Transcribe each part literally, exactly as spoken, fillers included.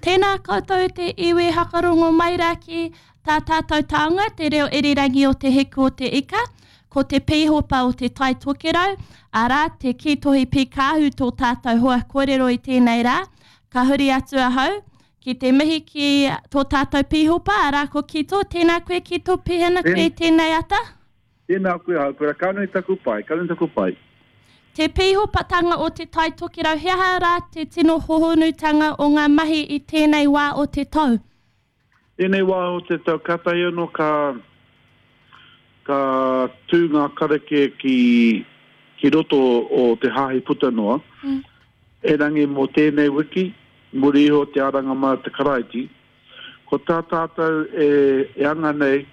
Tēnā koutou te iwi hakarongo mai rā ki tā tātou taonga, te reo irirangi o Te Hiku o te Ika, ko te pīhopa o Te Tai Tokerau, arā, te Kītohi Pīkāhu tō tātou hoa kōrero i tēnei rā. Ka huri atu ahau ki te mihi ki tō tātou pīhopa, arā ko Kito. Tēnā koe Kito, pēhea ana koe i tēnei ata? Tēnā koe Haukura, ka nui taku pai, ka nui taku pai. Te pīhopatanga o Te Tai Tokerau, he aha rā te tino hohonutanga o ngā mahi i tēnei wā o te tau? Tēnei wā o te tau, kātahi anō ka, ka tū ngā karakia ki, ki roto o te hāhi puta noa. Mm. Erangi mō tēnei wiki, muri iho te aranga mai o te Karaiti, ko tā tātou e, e anga nei,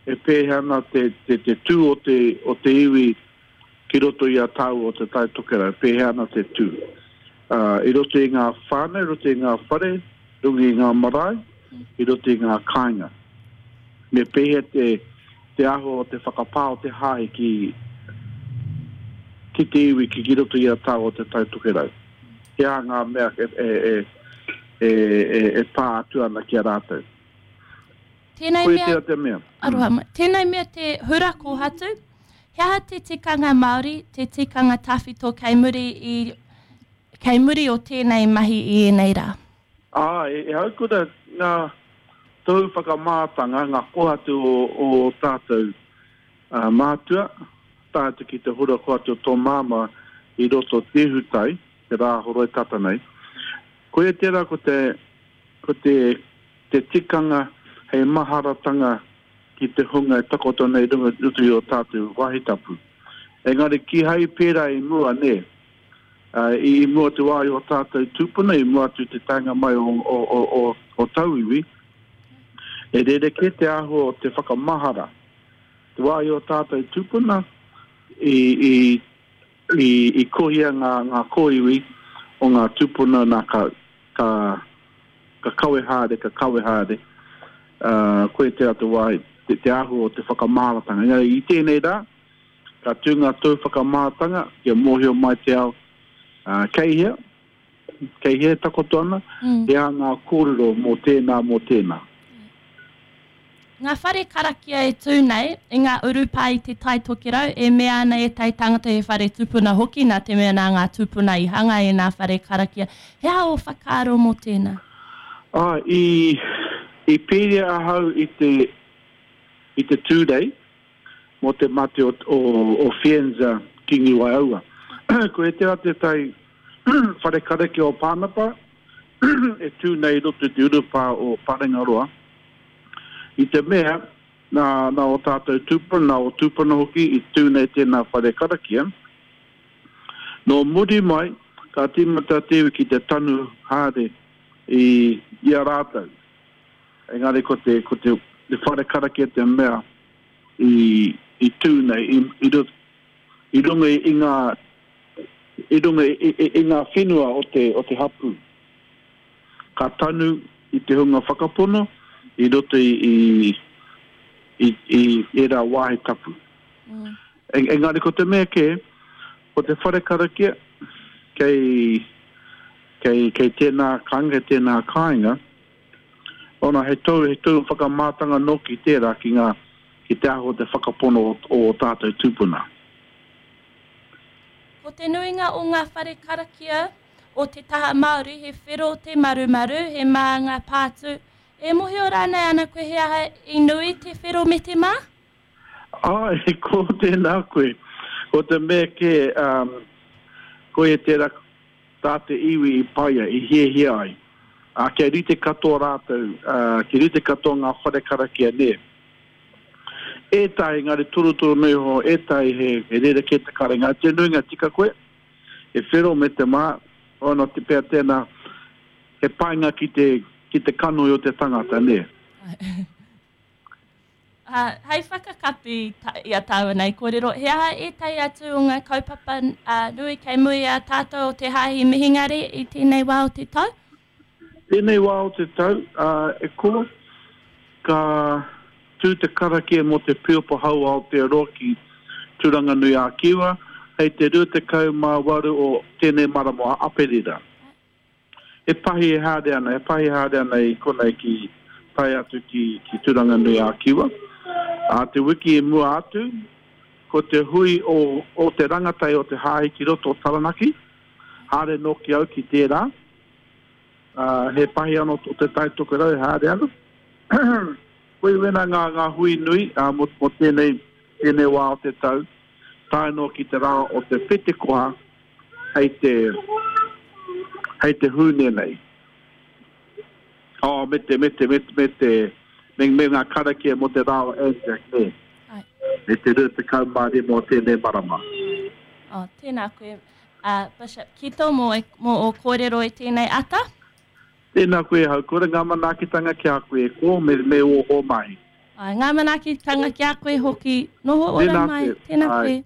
e pēhea ana te, te, te tū o te, o te iwi ki roto i a tāua o Te Tai Tokerau, pēhea ana te tū. Uh, I roto i ngā whānau, i roto i ngā whare, i runga i ngā marae, i roto i ngā kāinga. Me pēhea te, te āhua o te whakapā o te hāhi ki, ki te iwi ki, ki roto i a tāua o Te Tai Tokerau. He aha ngā mea e, e, e, e, e, e pā atu ana ki a rātou. Tēnei Koe mea, tērā te mea. Aroha mai. Tēnei mea te hura kōhatu, he aha te tikanga Māori, te tikanga tawhito kei muri i, kei muri o tēnei mahi i ēnei rā? Ā, e, e haukura ngā tohu whakamātanga, ngā kōhatu o, o tātou uh, mātua, tae atu ki te hura kōhatu o tō māmā i roto te hutai, te rā horoi tata nei. Koia tērā ko te, ko te, te tikanga hei maharatanga ki te hunga e takoto nei runga roto i o tātou wāhi tapu. Engari kīhai pērā i mua, nē. Uh, i, i mua te wā i o tātou tūpuna, i mua atu te taenga mai o, o, o, o, o tauiwi, e rerekē te āhua o te whakamahara. Te wā i o tātou tūpuna, i, i, i, i kohia ngā, ngā kōiwi o ngā tūpuna nā ka, ka, ka kawe haere, ka kawe haere. Uh, koe te atu wā, te, te āhua o te whakamaharatanga. Engari i tēnei rā, ka tū ngā tau whakamātanga, kia mōhio mai te ao, uh, kei hea, kei hea takoto ana, Mm. he aha ngā kōrero mō tēnā, mō tēnā. Ngā whare karakia e tū nei, i ngā urupā i Te Tai Tokerau, e mea ana ētahi tangata he whare tūpuna hoki, nā te mea nā ngā tūpuna i hanga e ngā whare karakia. He aha o whakaaro mō tēnā? Ah, i, i pēria ahau i te, i te tūrei mō te mate o, o, o Fienza Kingi Waiaua. Ko e tērā te tai whare karakia o Pānapa, e tū nei roto i te urupā o Parengaroa. I te mea, nā, nā o tātou tūpuna, nā o tūpuna hoki, i tū nei tēnā whare karakia. Nō muri mai, ka tīmata te iwi ki te tanu haere i, i a rātou. Engari ko te, ko te, te whare karakia te mea i, i tū nei, i, i, rut, i runga i ngā, i runga i, i, i ngā whenua o te, o te hapū. Ka tanu i te hunga whakapono, i roto i, i, i, i ērā wāhi tapu. Mm. En, engari ko te mea kē, ko te whare karakia, kei, kei, kei tēnā kāinga, kei tēnā kāinga, ona he tau, he tau whakamātanga noki tērā ki ngā, ki te aho te whakapono o, o tātou tūpuna. Ko te nuinga o ngā whare karakia o te taha Māori, he whero te marumaru, he mā ngā pātū. E mōhio rānei ana koe he aha i nui te whero me te mā? Ai, ko tēnā koe. Ko te mea kē, um, koe e tērā tā te iwi i paia, i hiahia ai. Uh, kia rite katoa rātou, uh, kia rite katoa ngā whare karakia nē. Ētahi ngā torotoro nei ho, ētahi he, he rerekē te karenga. Te nuinga tika koe, he whero me te mā, ona te pea tēnā, he painga ki te, ki te kanoi o te tangata, nē. Uh, hei whakakapi ta, i a tāua nei kōrero, he aha ētahi atu o ngā kaupapa uh, nui kei muri a tātou o te hāhi mihingare i tēnei wā o te tau? Tēnei wā o te tau, uh, e ko, ka tū te karakia mō te Piopa Hau Aotearoa ki Tūranganui a Kiwa, hei te rua tekau mā waru o tēnei marama o Aperira. he pahi e haere ana, he pahi e haere ana i konei ki tae atu ki, ki Tūranganui a Kiwa. Ā te wiki i mua atu, ko te hui o, o te rangatai o te hāhi ki roto o Taranaki, haere nōki au ki tērā. Ā, he pahi anō tō Te Tai Tokerau e haere ana. Koe wena ngā, ngā hui nui ā, mō, mō tēnei, tēnei wā o te tau, tae noa ki te rā o te Petekoha hei te, hei te Hūne nei. Oh, me te, me te, me te, me te, me, me ngā karakia mō te rā o Anzac, nē. Ai. Me te rua tekau mā rima o tēnei marama. Oh, tēnā koe, uh, Bishop Kito, mō, e, mō ō kōrero i tēnei ata. Tēnā koe, Haukura, ngā manaakitanga ki a koe e kō, me, me ō, ō mahi. Ai, ngā manaakitanga ki a koe hoki. Noho ora Tēnā mai. koe. Tēnā Ai. koe.